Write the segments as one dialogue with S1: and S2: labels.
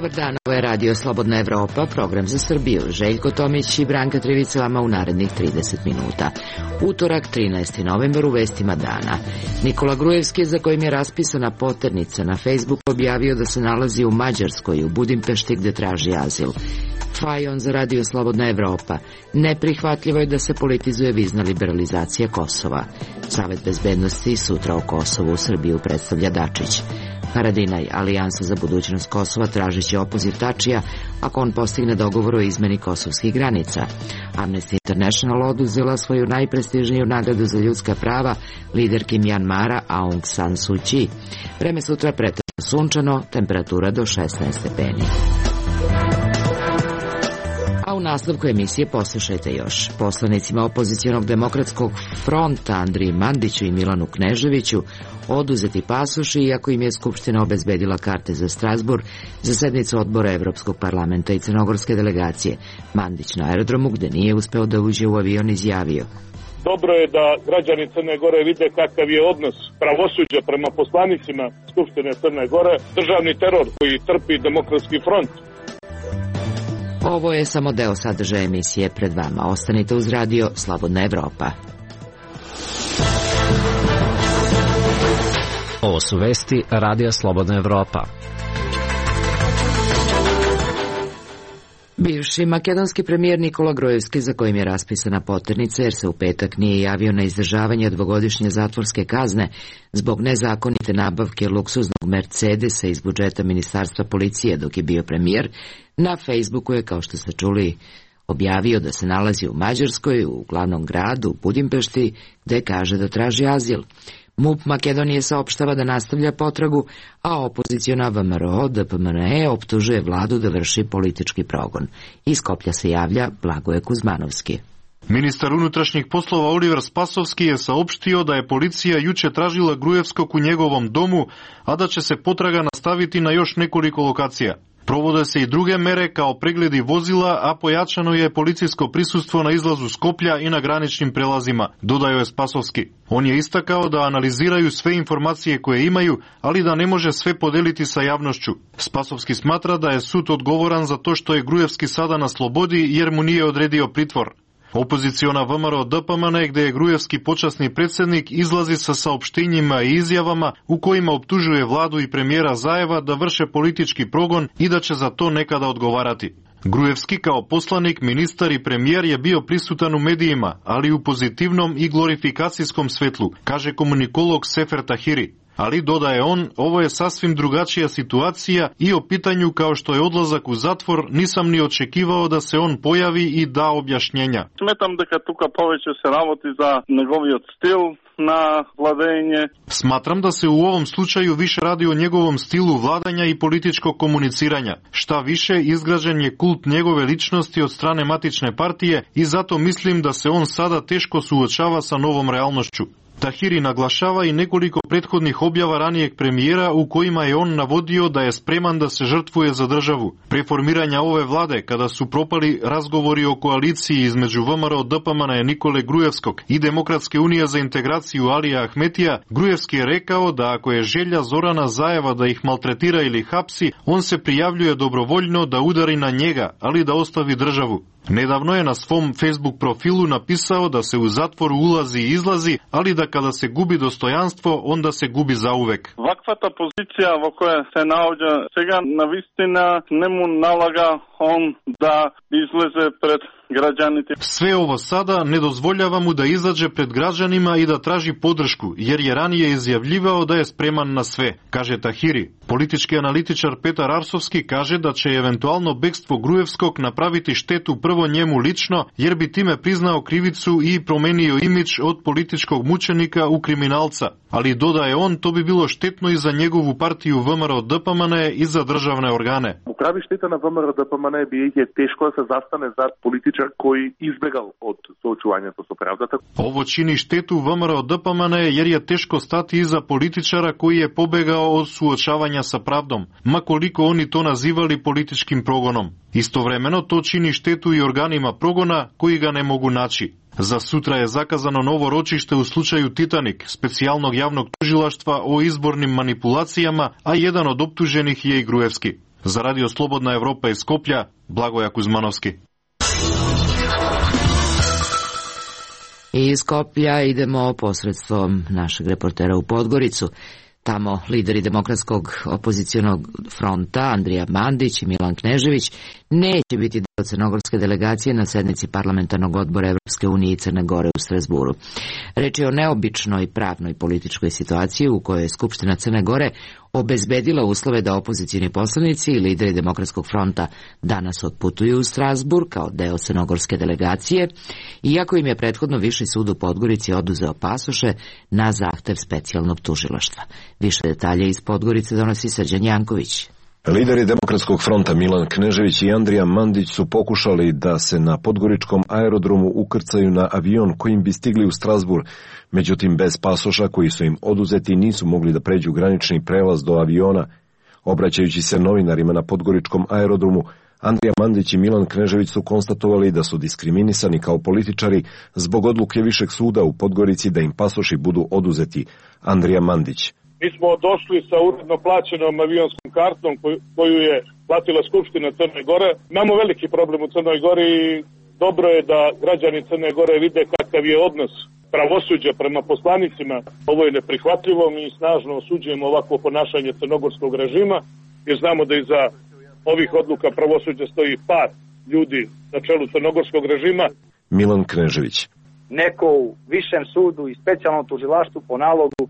S1: Dobar dan, ovo je Radio Slobodna Evropa, program za Srbiju. Željko Tomić i Branka Trivica vama u narednih 30 minuta. Utorak, 13. novembar, u vestima dana. Nikola Grujevski, za kojim je raspisana poternica, na Facebook objavio da se nalazi u Mađarskoj, u Budimpešti, gde traži azil. Fajon za Radio Slobodna Evropa. Neprihvatljivo je da se politizuje vizna liberalizacija Kosova. Savet bezbednosti sutra o Kosovu u Srbiju predstavlja Dačić. Haradinaj, Alijansa za budućnost Kosova, tražiće opoziv Tačija ako on postigne dogovor o izmeni kosovskih granica. Amnesty International oduzela svoju najprestižniju nagradu za ljudska prava liderki Mjanmara Aung San Suu Kyi. Vreme sutra pretežno sunčano, temperatura do 16 stepeni. A u nastavku emisije poslušajte još. Poslanicima opozicionog demokratskog fronta Andriji Mandiću i Milanu Kneževiću oduzeti pasoši, iako im je Skupština obezbedila karte za Strazburg za sednicu odbora Evropskog parlamenta i crnogorske delegacije. Mandić na aerodromu, gde nije uspeo da uđe u avion, izjavio:
S2: Dobro je da građani Crne Gore vide kakav je odnos pravosuđa prema poslanicima Skupštine Crne Gore, državni teror koji trpi demokratski front.
S1: Ovo je samo deo sadržaja emisije pred vama. Ostanite uz Radio Slobodna Evropa.
S3: Ovo su vesti Radija Slobodna Evropa.
S1: Bivši makedonski premijer Nikola Grujevski, za kojim je raspisana poternica jer se u petak nije javio na izdržavanje dvogodišnje zatvorske kazne zbog nezakonite nabavke luksuznog Mercedesa iz budžeta Ministarstva policije dok je bio premijer, na Facebooku je, kao što ste čuli, objavio da se nalazi u Mađarskoj, u glavnom gradu, u Budimpešti, gde kaže da traži azil. MUP Makedonije saopštava da nastavlja potragu, a opoziciona VMRO DPMNE optužuje vladu da vrši politički progon. Iz Skoplja se javlja Blagoje Kuzmanovski.
S4: Ministar unutrašnjih poslova Oliver Spasovski je saopštio da je policija juče tražila Grujevskog u njegovom domu, a da će se potraga nastaviti na još nekoliko lokacija. Provode se i druge mere kao pregledi vozila, a pojačano je policijsko prisustvo na izlazu Skoplja i na graničnim prelazima, dodao je Spasovski. On je istakao da analiziraju sve informacije koje imaju, ali da ne može sve podeliti sa javnošću. Spasovski smatra da je sud odgovoran za to što je Grujevski sada na slobodi jer mu nije odredio pritvor. Opoziciona VMRO DPMNE, gde je Grujevski počasni predsjednik, izlazi sa saopštenjima i izjavama u kojima optužuje vladu i premijera Zajeva da vrše politički progon i da će za to nekada odgovarati. Grujevski kao poslanik, ministar i premijer je bio prisutan u medijima, ali u pozitivnom i glorifikacijskom svetlu, kaže komunikolog Sefer Tahiri. Ali, dodaje on, ovo je sasvim drugačija situacija i o pitanju kao što je odlazak u zatvor nisam ni očekivao da se on pojavi i da objašnjenja.
S5: Smetam дека тука повеќе се работи за неговиот стил na vladenje.
S4: Smatram da se u ovom slučaju više radi o njegovom stilu vladanja i političkog komuniciranja. Šta više, izgrađen je kult njegove ličnosti od strane matične partije i zato mislim da se on sada teško suočava sa novom realnošću. Tahiri naglašava i nekoliko prethodnih objava ranijeg premijera u kojima je on navodio da je spreman da se žrtvuje za državu. Pre formiranja ove vlade, kada su propali razgovori o koaliciji između VMRO DPMNE Nikole Grujevskog i Demokratske unije za integraciju Alija Ahmetija, Grujevski je rekao da ako je želja Zorana Zajeva da ih maltretira ili hapsi, on se prijavljuje dobrovoljno da udari na njega, ali da ostavi državu. Nedavno je na svom Facebook profilu napisao da se u zatvoru ulazi i izlazi, ali da kada se gubi dostojanstvo, onda se gubi zauvek.
S5: Ваквата позиција во која се наоѓа сега навистина не му налага он да излезе пред građanite.
S4: Sve ovo sada ne dozvoljava mu da izađe pred građanima i da traži podršku, jer je ranije izjavljivao da je spreman na sve, kaže Tahiri. Politički analitičar Petar Arsovski kaže da će eventualno bekstvo Grujevskog napraviti štetu prvo njemu lično, jer bi time priznao krivicu i promenio imidž od političkog mučenika u kriminalca. Ali dodaje on, to bi bilo štetno i za njegovu partiju VMRO DPMNE i za državne organe.
S6: Прави штета на ВМРО ДПМНЕ биејќи тешко да се застане зад политичар кој избегал од соочувањето со правдата.
S4: Ovo čini štetu VMRO DPMNE jer je teško stati iza političara koji je pobegao od suočavanja sa pravdom, ma koliko oni to nazivali političkim progonom. Istovremeno to čini štetu i organima progona koji ga ne mogu naći. Za sutra je zakazano novo ročište u slučaju Titanik, specijalnog javnog tužilaštva o izbornim manipulacijama, a jedan od optuženih je i Grujevski. Za Radio Slobodna Evropa iz Skoplja, Blagoja Kuzmanovski.
S1: Iz Skoplja idemo posredstvom našeg reportera u Podgoricu. Tamo lideri Demokratskog opozicionog fronta Andrija Mandić i Milan Knežević neće biti deo crnogorske delegacije na sednici parlamentarnog odbora Evropske unije i Crne Gore u Strazburu. Reč je o neobičnoj pravnoj političkoj situaciji u kojoj je Skupština Crne Gore obezbedila uslove da opozicioni poslanici i lideri Demokratskog fronta danas otputuju u Strazburg kao deo crnogorske delegacije, iako im je prethodno Viši sud u Podgorici oduzeo pasoše na zahtev specijalnog tužilaštva. Više detalje iz Podgorice donosi Srđan Janković.
S7: Lideri Demokratskog fronta Milan Knežević i Andrija Mandić su pokušali da se na podgoričkom aerodromu ukrcaju na avion kojim bi stigli u Strazburg, međutim bez pasoša koji su im oduzeti nisu mogli da pređu granični prelaz do aviona. Obraćajući se novinarima na podgoričkom aerodromu, Andrija Mandić i Milan Knežević su konstatovali da su diskriminisani kao političari zbog odluke Višeg suda u Podgorici da im pasoši budu oduzeti. Andrija Mandić:
S2: Mi smo došli sa uredno plaćenom avionskom kartom koju je platila Skupština Crne Gore. Imamo veliki problem u Crnoj Gori i dobro je da građani Crne Gore vide kakav je odnos pravosuđa prema poslanicima. Ovo je neprihvatljivo, mi snažno osuđujemo ovako ponašanje crnogorskog režima jer znamo da iza ovih odluka pravosuđa stoji par ljudi na čelu crnogorskog režima.
S7: Milan Knežević:
S8: Neko u Višem sudu i specijalnom tužilaštvu po nalogu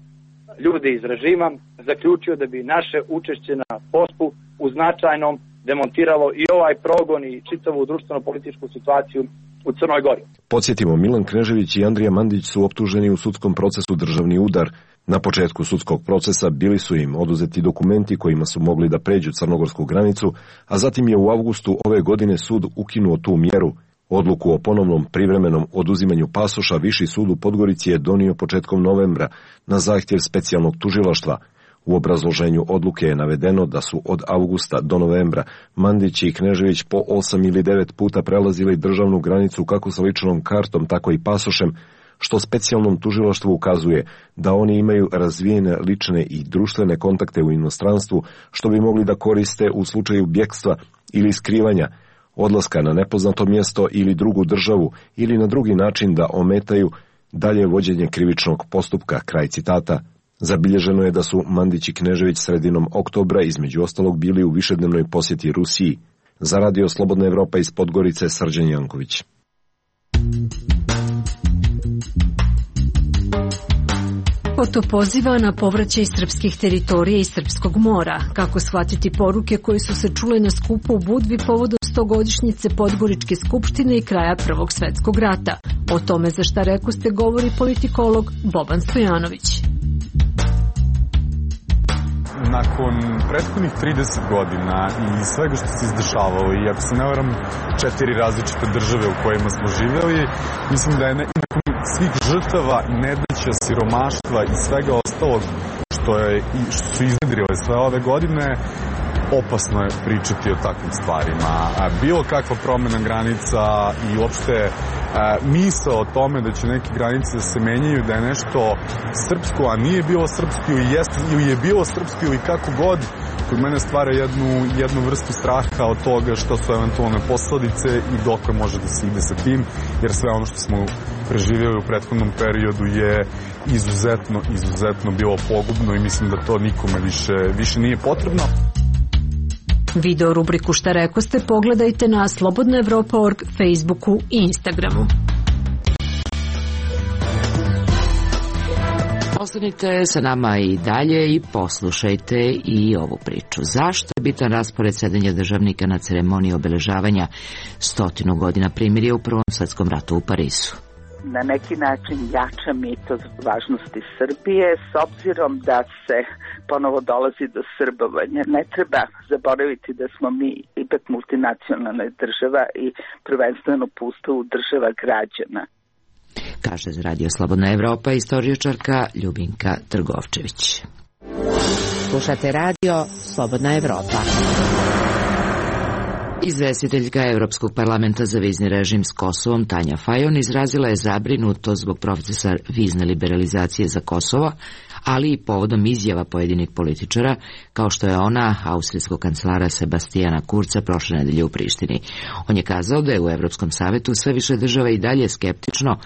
S8: ljudi iz režima zaključio da bi naše učešće na pospu u značajnom demontiralo i ovaj progon i čitavu društveno-političku situaciju u Crnoj Gori.
S7: Podsjetimo, Milan Knežević i Andrija Mandić su optuženi u sudskom procesu državni udar. Na početku sudskog procesa bili su im oduzeti dokumenti kojima su mogli da pređu crnogorsku granicu, a zatim je u avgustu ove godine sud ukinuo tu mjeru. Odluku o ponovnom privremenom oduzimanju pasoša Viši sud u Podgorici je donio početkom novembra na zahtjev specijalnog tužilaštva. U obrazloženju odluke je navedeno da su od avgusta do novembra Mandić i Knežević po 8 ili 9 puta prelazili državnu granicu kako sa ličnom kartom, tako i pasošem, što specijalnom tužilaštvu ukazuje da oni imaju razvijene lične i društvene kontakte u inostranstvu, što bi mogli da koriste u slučaju bjekstva ili skrivanja, odlaska na nepoznato mjesto ili drugu državu ili na drugi način da ometaju dalje vođenje krivičnog postupka. Kraj citata. Zabilježeno je da su Mandić i Knežević sredinom oktobra između ostalog bili u višednevnoj posjeti Rusiji. Za Radio Slobodna Evropa iz Podgorice, Srđan Janković.
S9: Oto poziva na povraćaj srpskih teritorija i srpskog mora. Kako shvatiti poruke koje su se čule na skupu u Budvi povodom 100-godišnjice Podgoričke skupštine i kraja Prvog svetskog rata? O tome za šta rekoste govori politikolog Boban Stojanović.
S10: Nakon prethodnih 30 godina i svega što se izdešavalo, i ako se ne varam 4 različite države u kojima smo živjeli, mislim da je nakon svih žrtava, nedaća, siromaštva i svega ostalog što su iznedrile sve ove godine, opasno je pričati o takvim stvarima. Bilo kakva promjena granica i uopšte misao o tome da će neke granice da se menjaju, da je nešto srpsko, a nije bilo srpsko ili je bilo srpsko ili kako god, kod mene stvara jednu vrstu straha od toga što su eventualne posledice i dokle može da se ide sa tim, jer sve ono što smo preživjeli u prethodnom periodu je izuzetno bilo pogubno i mislim da to nikome više nije potrebno.
S9: Video rubriku Šta rekoste pogledajte na slobodnaevropa.org, Facebooku i Instagramu.
S1: Ostanite sa nama i dalje i poslušajte i ovu priču. Zašto je bitan raspored sedenja državnika na ceremoniji obeležavanja 100 godina primirja u Prvom svetskom ratu u Parizu?
S11: Na neki način jača mitos važnosti Srbije, s obzirom da se ponovo dolazi do srbovanja. Ne treba zaboraviti da smo mi ipak multinacionalna država i prvenstveno po Ustavu država građana.
S1: Kaže za Radio Slobodna Evropa istoričarka Ljubinka Trgovčević.
S12: Slušate Radio Slobodna Evropa.
S1: Izvestiteljka Evropskog parlamenta za vizni režim s Kosovom Tanja Fajon izrazila je zabrinutost zbog procesa vizne liberalizacije za Kosovo, ali i povodom izjava pojedinih političara, kao što je ona austrijskog kancelara Sebastijana Kurca prošle nedelje u Prištini. On je kazao da je u Evropskom savetu sve više država i dalje skeptično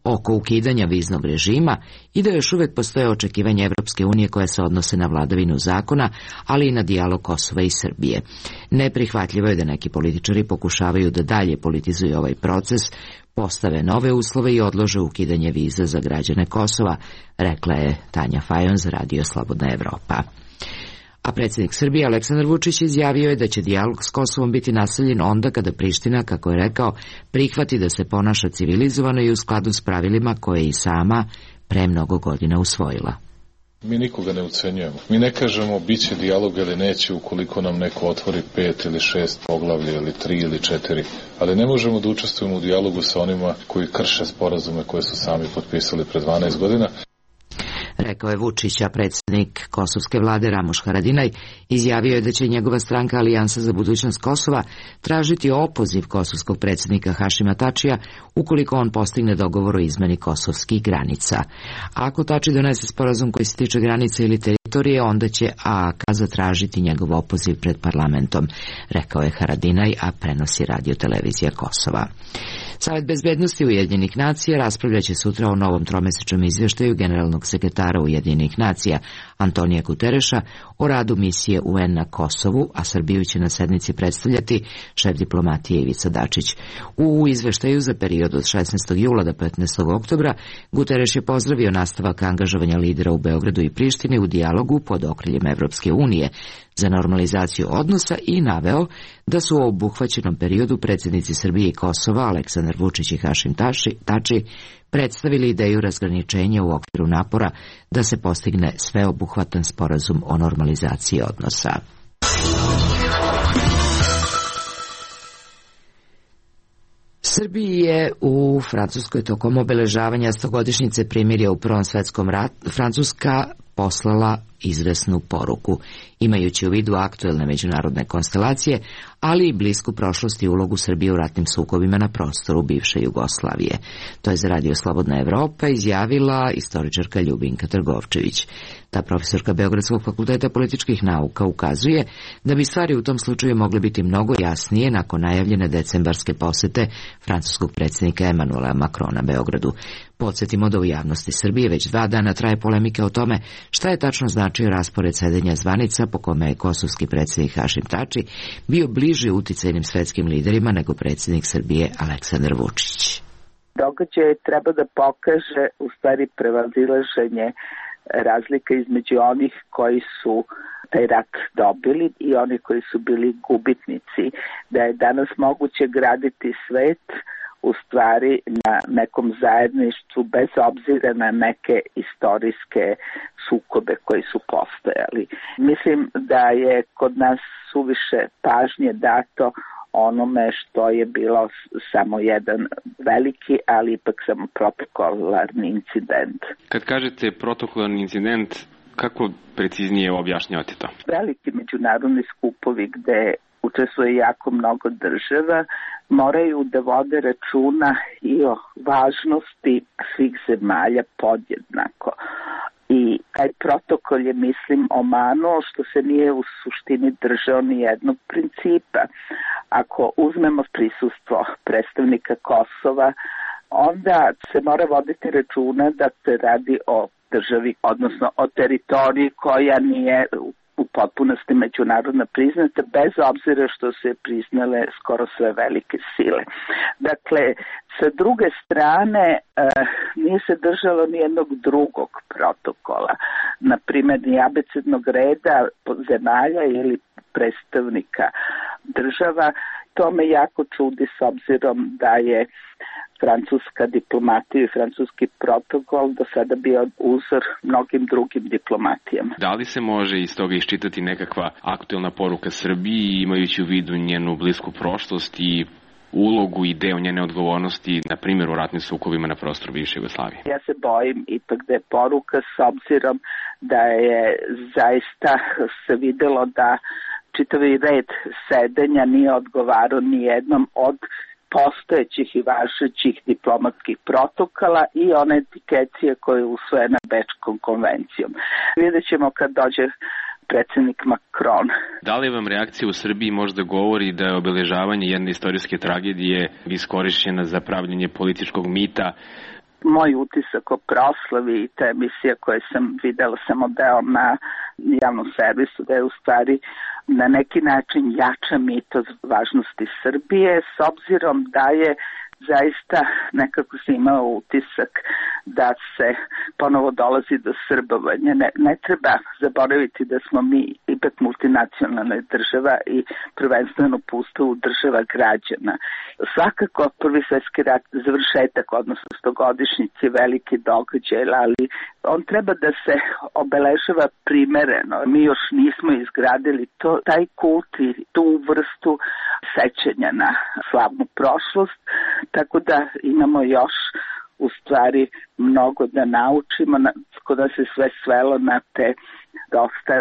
S1: oko ukidanja viznog režima i da još uvek postoje očekivanja Evropske unije koje se odnose na vladavinu zakona, ali i na dijalog Kosova i Srbije. Neprihvatljivo je da neki političari pokušavaju da dalje politizuju ovaj proces, postave nove uslove i odlože ukidanje viza za građane Kosova, rekla je Tanja Fajon za Radio Slobodna Evropa. A predsjednik Srbije Aleksandar Vučić izjavio je da će dijalog s Kosovom biti nastavljen onda kada Priština, kako je rekao, prihvati da se ponaša civilizovano i u skladu s pravilima koje je i sama pre mnogo godina usvojila.
S12: Mi nikoga ne ucenjujemo. Mi ne kažemo biće dijalog ili neće ukoliko nam neko otvori 5 ili 6 poglavlja ili 3 ili 4, ali ne možemo da učestvujemo u dijalogu sa onima koji krše sporazume koje su sami potpisali pre 12 godina.
S1: Rekao je Vučić, a predsjednik kosovske vlade Ramuš Haradinaj izjavio je da će njegova stranka Alijansa za budućnost Kosova tražiti opoziv kosovskog predsjednika Hašima Tačija ukoliko on postigne dogovor o izmeni kosovskih granica. A ako Tači donese sporazum koji se tiče granice ili teritorije, onda će AAK zatražiti njegov opoziv pred parlamentom, rekao je Haradinaj, a prenosi Radio Televizija Kosova. Savet bezbednosti Ujedinjenih nacija raspravljaće sutra o novom tromesečnom izvještaju generalnog sekretara Ujedinjenih nacija Antonija Gutereša o radu misije UN na Kosovu, a Srbiju će na sednici predstavljati šef diplomatije Ivica Dačić. U izveštaju za period od 16. jula do 15. oktobra Gutereš je pozdravio nastavak angažovanja lidera u Beogradu i Prištini u dijalogu pod okriljem Evropske unije za normalizaciju odnosa i naveo da su u obuhvaćenom periodu predsjednici Srbije i Kosova Aleksandar Vučić i Hašim Tači predstavili ideju razgraničenja u okviru napora da se postigne sveobuhvatan sporazum o normalizaciji odnosa. Srbiji je u Francuskoj tokom obeležavanja 100-godišnjice primirja u Prvom svetskom ratu Francuska poslala izvesnu poruku, imajući u vidu aktuelne međunarodne konstelacije, ali i blisku prošlost i ulogu Srbije u ratnim sukobima na prostoru bivše Jugoslavije. To je za Radio Slobodna Evropa izjavila istoričarka Ljubinka Trgovčević. Ta profesorka Beogradskog fakulteta političkih nauka ukazuje da bi stvari u tom slučaju mogle biti mnogo jasnije nakon najavljene decembarske posete francuskog predsjednika Emanuela Macrona Beogradu. Podsjetimo da u javnosti Srbije već 2 dana traje polemika o tome šta je tačno značio raspored sedenja zvanica po kome je kosovski predsjednik Hašim Tači bio bliži uticajnim svetskim liderima nego predsjednik Srbije Aleksandar Vučić.
S11: Događaj treba da pokaže u stvari prevazilaženje razlika između onih koji su taj rat dobili i oni koji su bili gubitnici, da je danas moguće graditi svet u stvari na nekom zajedništvu bez obzira na neke istorijske sukobe koji su postojali. Mislim da je kod nas suviše pažnje dato onome što je bilo samo jedan veliki, ali ipak samo protokolarni incident.
S13: Kad kažete protokolarni incident, kako preciznije objašnjavate to? Veliki
S11: međunarodni skupovi gde učestvuje jako mnogo država, moraju da vode računa i o važnosti svih zemalja podjednako. I taj protokol je, mislim, omanuo što se nije u suštini držao ni jednog principa. Ako uzmemo prisustvo predstavnika Kosova, onda se mora voditi računa da se radi o državi, odnosno o teritoriji koja nije u potpunosti međunarodno priznata, bez obzira što se priznale skoro sve velike sile. Dakle, sa druge strane, nije se držalo nijednog drugog protokola, na primjer ni abecednog reda zemalja ili predstavnika država. To me jako čudi s obzirom da je francuska diplomatija i francuski protokol do sada bio uzor mnogim drugim diplomatijama.
S13: Da li se može iz toga iščitati nekakva aktuelna poruka Srbiji, imajući u vidu njenu blisku prošlost i ulogu i deo njene odgovornosti, na primjer u ratnim sukobima na prostoru bivše Jugoslavije?
S11: Ja se bojim ipak da je poruka, s obzirom da je zaista se videlo da čitavi red sedenja nije odgovarao ni jednom od postojećih i važećih diplomatskih protokola i one etikecije koje je usvojena Bečkom konvencijom. Vidjet ćemo kad dođe predsjednik Macron.
S13: Da li vam reakcija u Srbiji možda govori da je obeležavanje jedne istorijske tragedije iskorišćena za pravljenje političkog mita?
S11: Moj utisak o proslavi i te emisije koje sam videla samo deo na javnom servisu, da je u stvari na neki način jača mitos važnosti Srbije, s obzirom da je zaista nekako se imao utisak da se ponovo dolazi do srbovanja. Ne treba zaboraviti da smo mi ipak multinacionalna država i prvenstveno po Ustavu država građana. Svakako Prvi svjetski rat, završetak, odnosno 100-godišnjice, veliki događaj, ali on treba da se obeležava primereno. Mi još nismo izgradili taj kult i tu vrstu sećanja na slavnu prošlost, tako da imamo još u stvari mnogo da naučimo, kod da se sve svelo na te dosta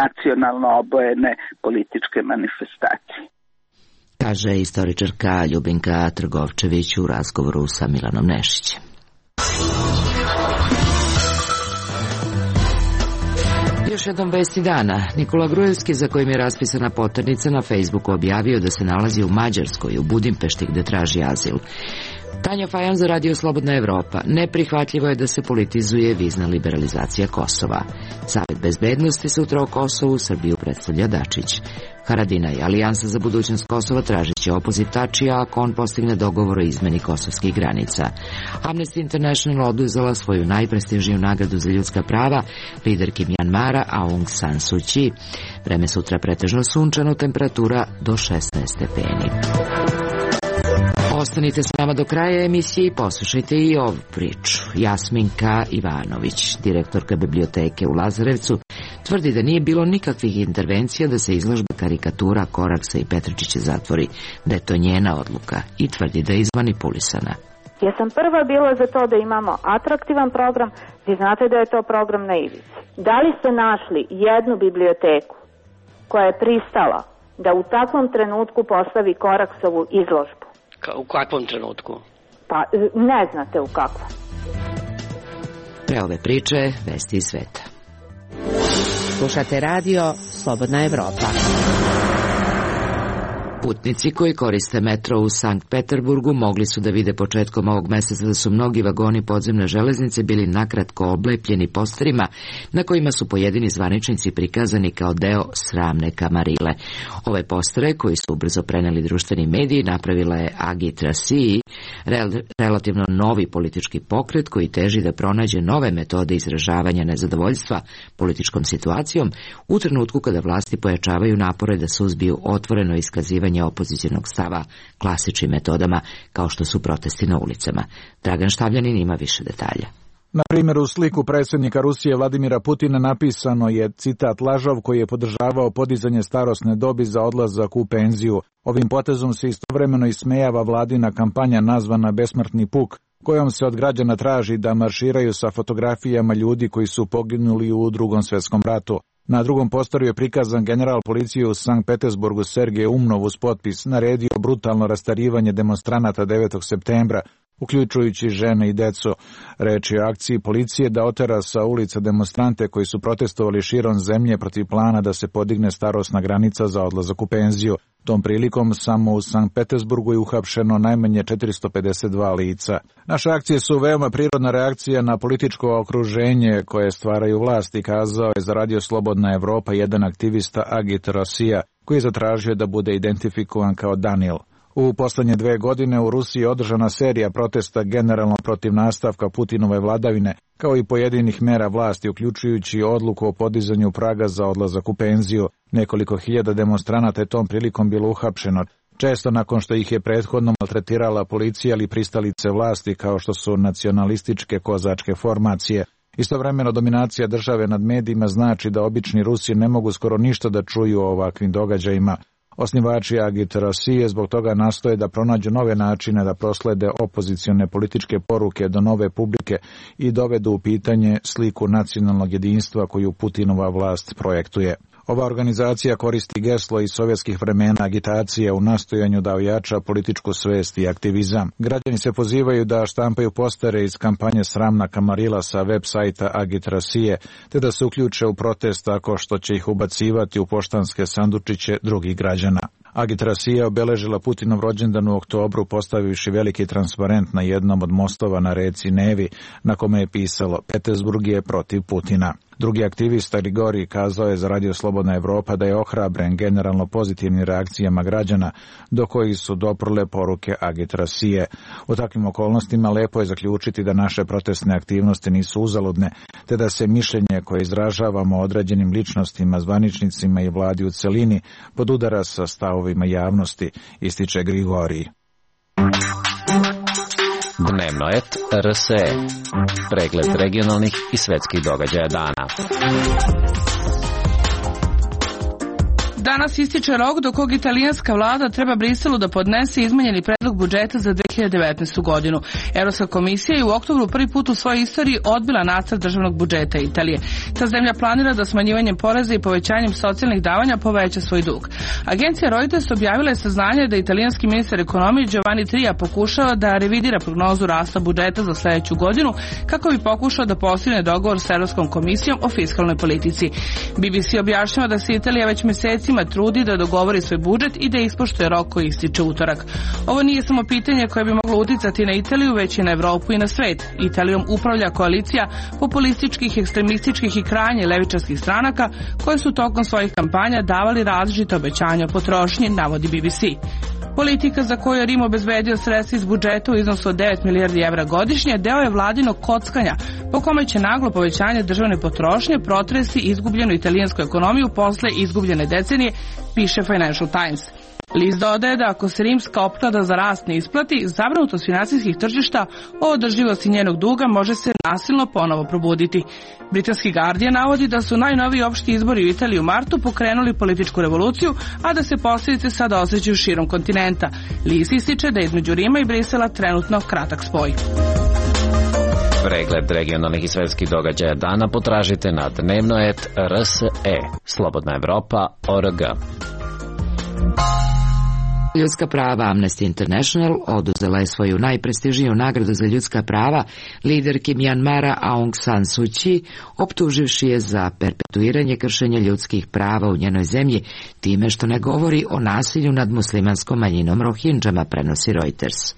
S11: nacionalno obojene političke manifestacije.
S1: Kaže istoričarka Ljubinka Trgovčević u razgovoru sa Milanom Nešićem. Još jednom vesti dana. Nikola Grujevski, za kojim je raspisana poternica, na Facebooku objavio da se nalazi u Mađarskoj, u Budimpešti, gde traži azil. Tanja Fajon za Radio Slobodna Evropa. Neprihvatljivo je da se politizuje vizna liberalizacija Kosova. Savet bezbednosti sutra o Kosovu Srbiju predstavlja Dačić. Haradinaj, Alijansa za budućnost Kosova, tražit će opoziv Tačija ako on postigne dogovor o izmeni kosovskih granica. Amnesty International oduzela svoju najprestižniju nagradu za ljudska prava liderki Mjanmara Aung San Suu Kyi. Vreme sutra pretežno sunčano, temperatura do 16 stepeni. Ostanite s nama do kraja emisije i poslušajte i ovu priču. Jasminka Ivanović, direktorka biblioteke u Lazarevcu, tvrdi da nije bilo nikakvih intervencija da se izložba karikatura Koraksa i Petričića zatvori, da je to njena odluka, i tvrdi da je izmanipulisana.
S14: Ja sam prva bila za to da imamo atraktivan program. Vi znate da je to program na ivici. Da li ste našli jednu biblioteku koja je pristala da u takvom trenutku postavi Koraksovu izložbu?
S15: U kakvom trenutku?
S14: Pa ne znate u kakvom.
S1: Pre ove priče, vesti iz sveta. Slušate radio Slobodna Evropa. Putnici koji koriste metro u Sankt Peterburgu mogli su da vide početkom ovog meseca da su mnogi vagoni podzemne železnice bili nakratko oblepljeni posterima na kojima su pojedini zvaničnici prikazani kao deo sramne kamarile. Ove postere, koji su ubrzo preneli društveni mediji, napravila je Agit Rasii, relativno novi politički pokret koji teži da pronađe nove metode izražavanja nezadovoljstva političkom situacijom u trenutku kada vlasti pojačavaju napore da suzbiju otvoreno iskazivanje opozicionog stava klasičnim metodama kao što su protesti na ulicama. Dragan Štavljanin ima više detalja.
S16: Na primjer, u sliku predsjednika Rusije Vladimira Putina napisano je citat lažov koji je podržavao podizanje starosne dobi za odlazak u penziju. Ovim potezom se istovremeno ismejava vladina kampanja nazvana Besmrtni puk, kojom se od građana traži da marširaju sa fotografijama ljudi koji su poginuli u Drugom svjetskom ratu. Na drugom postoru je prikazan general policije u Sankt Petersburgu Sergej Umnov uz potpis naredio brutalno rastarivanje demonstranata 9. septembra, uključujući žene i decu. Reč je o akciji policije da otera sa ulica demonstrante koji su protestovali širom zemlje protiv plana da se podigne starosna granica za odlazak u penziju. Tom prilikom samo u Sankt Petersburgu je uhapšeno najmanje 452 lica. Naše akcije su veoma prirodna reakcija na političko okruženje koje stvaraju vlasti, kazao je za Radio Slobodna Evropa jedan aktivista Agit Rasija, koji je zatražio da bude identifikovan kao Danil. U poslednje 2 godine u Rusiji je održana serija protesta generalno protiv nastavka Putinove vladavine, kao i pojedinih mera vlasti, uključujući odluku o podizanju praga za odlazak u penziju. Nekoliko hiljada demonstranata je tom prilikom bilo uhapšeno, često nakon što ih je prethodno maltretirala policija ili pristalice vlasti kao što su nacionalističke kozačke formacije. Istovremeno dominacija države nad medijima znači da obični Rusi ne mogu skoro ništa da čuju o ovakvim događajima. Osnivači Agit Rasije zbog toga nastoje da pronađu nove načine da proslede opozicione političke poruke do nove publike i dovedu u pitanje sliku nacionalnog jedinstva koju Putinova vlast projektuje. Ova organizacija koristi geslo iz sovjetskih vremena agitacije u nastojanju da ojača političku svest i aktivizam. Građani se pozivaju da štampaju postere iz kampanje Sramna kamarila sa web sajta Agitrasije, te da se uključe u protest tako što će ih ubacivati u poštanske sandučiće drugih građana. Agitrasija obeležila Putinov rođendan u oktobru postavivši veliki transparent na jednom od mostova na reci Nevi, na kome je pisalo Petersburg je protiv Putina. Drugi aktivista Grigorij kazao je za Radio Slobodna Evropa da je ohrabren generalno pozitivnim reakcijama građana do kojih su doprle poruke Agitrasije. U takvim okolnostima lepo je zaključiti da naše protestne aktivnosti nisu uzaludne, te da se mišljenje koje izražavamo određenim ličnostima, zvaničnicima i vladi u celini podudara sa stavovima javnosti, ističe Grigorij.
S3: Dnevno et RSE. Pregled regionalnih i svetskih događaja dana.
S17: Danas ističe rok do kog italijanska vlada treba Briselu da podnese izmenjeni predlog budžeta za 2019. godinu. Evropska komisija je u oktobru prvi put u svojoj istoriji odbila nacrt državnog budžeta Italije. Ta zemlja planira da smanjivanjem poreza i povećanjem socijalnih davanja poveća svoj dug. Agencija Reuters objavila je saznanje da italijanski ministar ekonomije Giovanni Tria pokušava da revidira prognozu rasta budžeta za sledeću godinu kako bi pokušao da postigne dogovor sa Evropskom komisijom o fiskalnoj politici. BBC objašnjava da se Italija već meseci trudi da dogovori svoj budžet i da ispoštuje rok koji ističe utorak. Ovo nije samo pitanje koje bi moglo uticati na Italiju, već i na Evropu i na svet. Italijom upravlja koalicija populističkih, ekstremističkih i krajnje levičarskih stranaka koje su tokom svojih kampanja davali različite obećanja o potrošnji, navodi BBC. Politika za koju je Rim obezbedio sredstva iz budžeta u iznosu od 9 milijardi evra godišnje deo je vladinog kockanja, po kome će naglo povećanje državne potrošnje protresti izgubljenu italijansku ekonomiju posle izgubljene decenije, piše Financial Times. List dodaje da ako se rimska opklada za rast ne isplati, zabrinutost finansijskih tržišta o održivosti njenog duga može se nasilno ponovo probuditi. Britanski Guardian navodi da su najnoviji opšti izbori u Italiji u martu pokrenuli političku revoluciju, a da se posljedice sada osjećaju širom kontinenta. List ističe da je između Rima i Brisela trenutno kratak spoj.
S3: Pregled regionalnih i svetskih događaja dana potražite na dnevno.rs.e. Slobodna Evropa.org.
S1: Ljudska prava Amnesty International oduzela je svoju najprestižniju nagradu za ljudska prava liderki Mjanmara Aung San Suu Kyi, optuživši je za perpetuiranje kršenja ljudskih prava u njenoj zemlji time što ne govori o nasilju nad muslimanskom manjinom Rohingama, prenosi Reuters.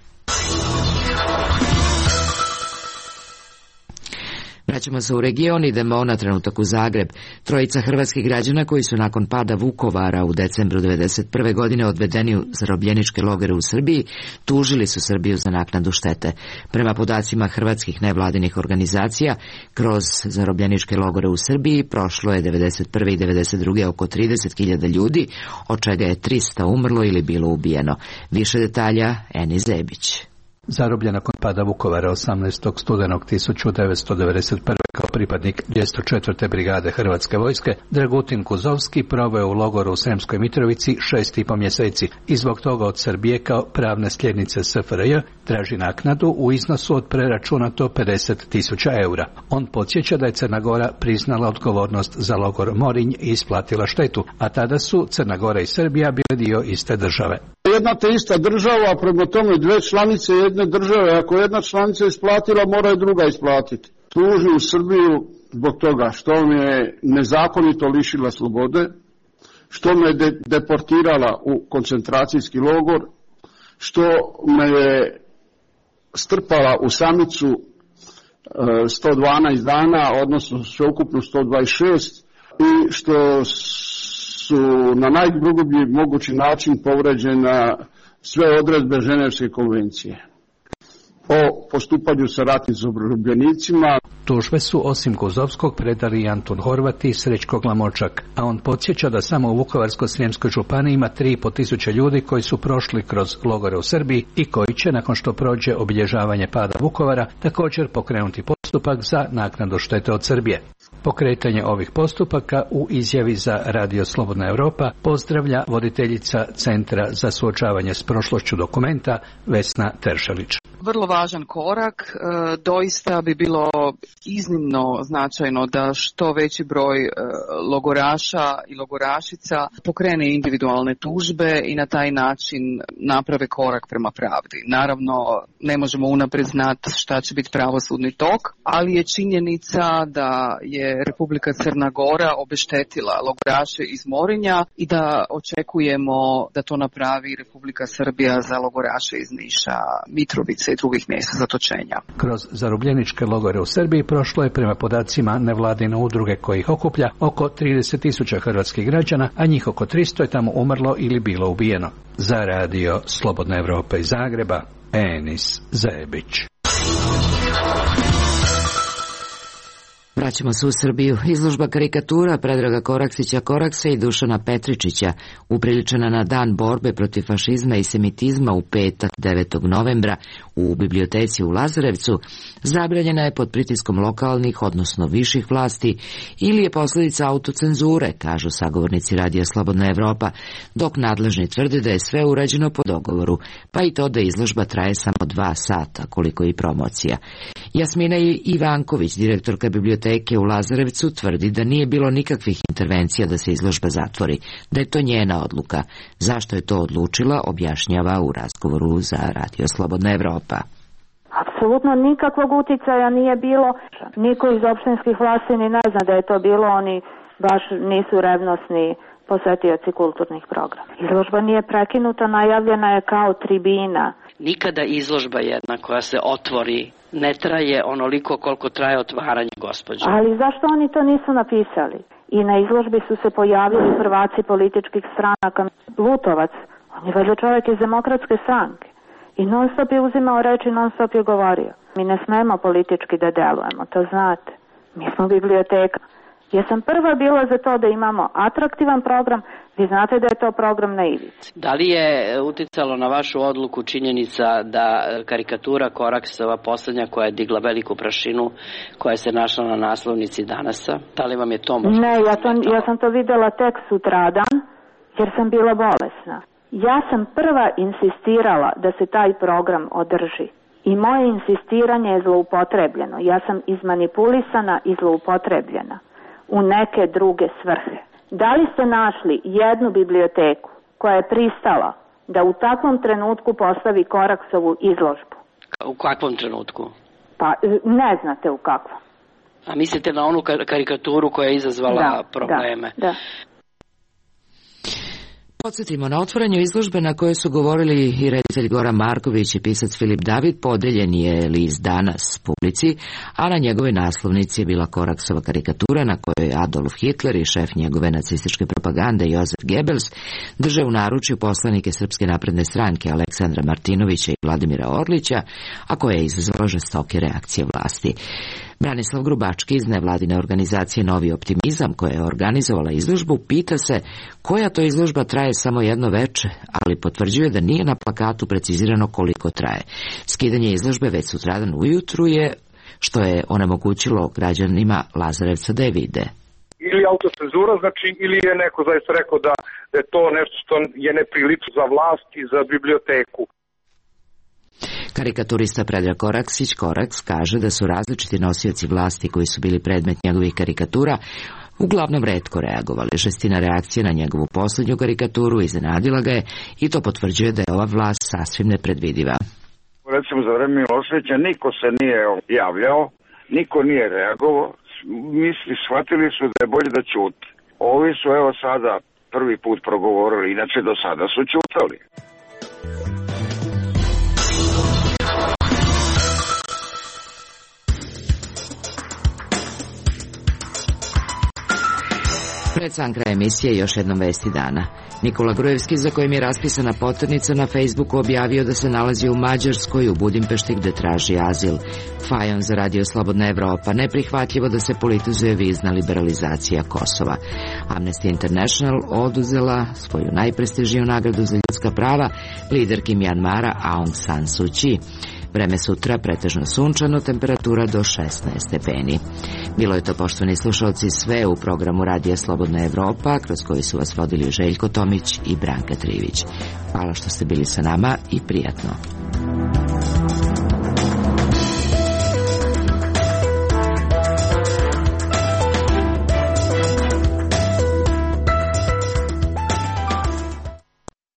S1: Vraćamo se u region, idemo na trenutak u Zagreb. Trojica hrvatskih građana koji su nakon pada Vukovara u decembru 1991. godine odvedeni u zarobljeničke logore u Srbiji, tužili su Srbiju za naknadu štete. Prema podacima hrvatskih nevladinih organizacija, kroz zarobljeničke logore u Srbiji prošlo je 1991. i 1992. oko 30.000 ljudi, od čega je 300 umrlo ili bilo ubijeno. Više detalja, Eni Zebić.
S18: Zarobljen nakon pada Vukovara 18. studenog 1991. kao pripadnik 204. brigade Hrvatske vojske, Dragutin Kuzovski proveo je u logoru u Sremskoj Mitrovici 6,5 mjeseci i zbog toga od Srbije kao pravne sljednice SFRJ traži naknadu u iznosu od preračunato 50.000 eura. On podsjeća da je Crna Gora priznala odgovornost za logor Morinj i isplatila štetu, a tada su Crna Gora i Srbija bile dio iste države.
S19: Jedna te ista država, a prema tome dve članice jedne države, ako jedna članica isplatila, mora i druga isplatiti. Tuži u Srbiju zbog toga što me je nezakonito lišila slobode, što me je deportirala u koncentracijski logor, što me je strpala u samicu 112 dana, odnosno sveukupno 126, i što su na najgrublji mogući način povređena sve odredbe Ženevske konvencije o postupanju sa ratnim zarobljenicima.
S18: Tužbe su osim Kuzovskog predali Antun Horvat i Srećko Glamočak, a on podsjeća da samo u Vukovarsko-srijemskoj županiji ima 3.500 ljudi koji su prošli kroz logore u Srbiji i koji će, nakon što prođe obilježavanje pada Vukovara, također pokrenuti postupak za naknadu štete od Srbije. Pokretanje ovih postupaka u izjavi za Radio Slobodna Evropa pozdravlja voditeljica Centra za suočavanje s prošlošću Dokumenta Vesna Teršelić.
S20: Vrlo važan korak, doista bi bilo iznimno značajno da što veći broj logoraša i logorašica pokrene individualne tužbe i na taj način naprave korak prema pravdi. Naravno, ne možemo unaprijed znati šta će biti pravosudni tok, ali je činjenica da je Republika Crna Gora obeštetila logoraše iz Morinja i da očekujemo da to napravi Republika Srbija za logoraše iz Niša, Mitrovice i drugih mjesta zatočenja.
S18: Kroz zarobljeničke logore u Srbiji prošlo je prema podacima nevladine udruge koji ih okuplja oko 30.000 hrvatskih građana, a njih oko 300 je tamo umrlo ili bilo ubijeno. Za Radio Slobodna Evropa iz Zagreba, Enis Zebić.
S1: Vraćamo se u Srbiju. Izložba karikatura Predraga Koraksića Koraksa i Dušana Petričića, upriličena na Dan borbe protiv fašizma i semitizma u petak 9. novembra u biblioteci u Lazarevcu, zabranjena je pod pritiskom lokalnih, odnosno viših vlasti, ili je posljedica autocenzure, kažu sagovornici Radija Slobodna Evropa, dok nadležni tvrde da je sve urađeno po dogovoru, pa i to da izložba traje samo 2 sata, koliko i promocija. Jasmina Ivanković, direktorka biblioteke u Lazarevcu, tvrdi da nije bilo nikakvih intervencija da se izložba zatvori, da je to njena odluka. Zašto je to odlučila, objašnjava u razgovoru za Radio Slobodna Evropa.
S14: Apsolutno nikakvog uticaja nije bilo. Niko iz opštinskih vlasti ni ne zna da je to bilo, oni baš nisu revnosni posetioci kulturnih programa. Izložba nije prekinuta, najavljena je kao tribina.
S15: Nikada izložba jedna koja se otvori ne traje onoliko koliko traje otvaranje, gospođo.
S14: Ali zašto oni to nisu napisali? I na izložbi su se pojavili prvaci političkih stranaka. Lutovac, on je valjda čovjek iz Demokratske stranke. I non stop je uzimao reči, non stop je govorio. Mi ne smemo politički da delujemo, to znate. Mi smo biblioteka. Ja sam prva bila za to da imamo atraktivan program, vi znate da je to program na ivici.
S15: Da li je uticalo na vašu odluku činjenica da karikatura Koraksova posljednja koja je digla veliku prašinu, koja se našla na naslovnici Danasa? Da li vam je to možda?
S14: Ne, ja sam to videla tek sutradan, jer sam bila bolesna. Ja sam prva insistirala da se taj program održi. I moje insistiranje je zloupotrebljeno. Ja sam izmanipulisana i zloupotrebljena u neke druge svrhe. Da li ste našli jednu biblioteku koja je pristala da u takvom trenutku postavi Koraksovu izložbu?
S15: U kakvom trenutku?
S14: Pa ne znate u kakvom.
S15: A mislite na onu karikaturu koja je izazvala probleme?
S14: Da.
S1: Podsjetimo, na otvaranju izložbe na kojoj su govorili i reditelj Goran Marković i pisac Filip David, podeljen je list Danas publici, a na njegove naslovnici je bila Koraksova karikatura na kojoj Adolf Hitler i šef njegove nacističke propagande Josef Goebbels drže u naručju poslanike Srpske napredne stranke Aleksandra Martinovića i Vladimira Orlića, a koja je izazvala žestoke reakcije vlasti. Branislav Grubački iz nevladine organizacije Novi optimizam, koja je organizovala izložbu, pita se koja to izložba traje samo jedno veče, ali potvrđuje da nije na plakatu precizirano koliko traje. Skidanje izložbe već sutradan ujutru je, što je onemogućilo građanima Lazarevca da je vide.
S21: Ili autocenzura, znači, ili je neko zaista rekao da je to nešto što je neprilično za vlast i za biblioteku.
S1: Karikaturista Predrag Koraksić Koraks kaže da su različiti nosioci vlasti koji su bili predmet njegovih karikatura uglavnom retko reagovali. Žestina reakcije na njegovu posljednju karikaturu iznenadila ga je i to potvrđuje da je ova vlast sasvim nepredvidiva.
S22: Recimo za vreme Miloševića niko se nije javljao, niko nije reagovao, shvatili su da je bolje da ćute. Ovi su evo sada prvi put progovorili, inače do sada su ćutali.
S1: Pred sam kraj emisije još jednom vesti dana. Nikola Grujevski, za kojim je raspisana poternica, na Facebooku objavio da se nalazi u Mađarskoj, u Budimpešti, gde traži azil. Fajon za Radio Slobodna Evropa: neprihvatljivo da se politizuje vizna liberalizacija Kosova. Amnesty International oduzela svoju najprestižniju nagradu za ljudska prava liderki Mjanmara Aung San Suu Kyi. Vreme sutra pretežno sunčano, temperatura do 16 stepeni. Bilo je to, poštovani slušalci, sve u programu Radija Slobodna Evropa, kroz koji su vas vodili Željko Tomić i Branka Trivić. Hvala što ste bili sa nama i prijatno.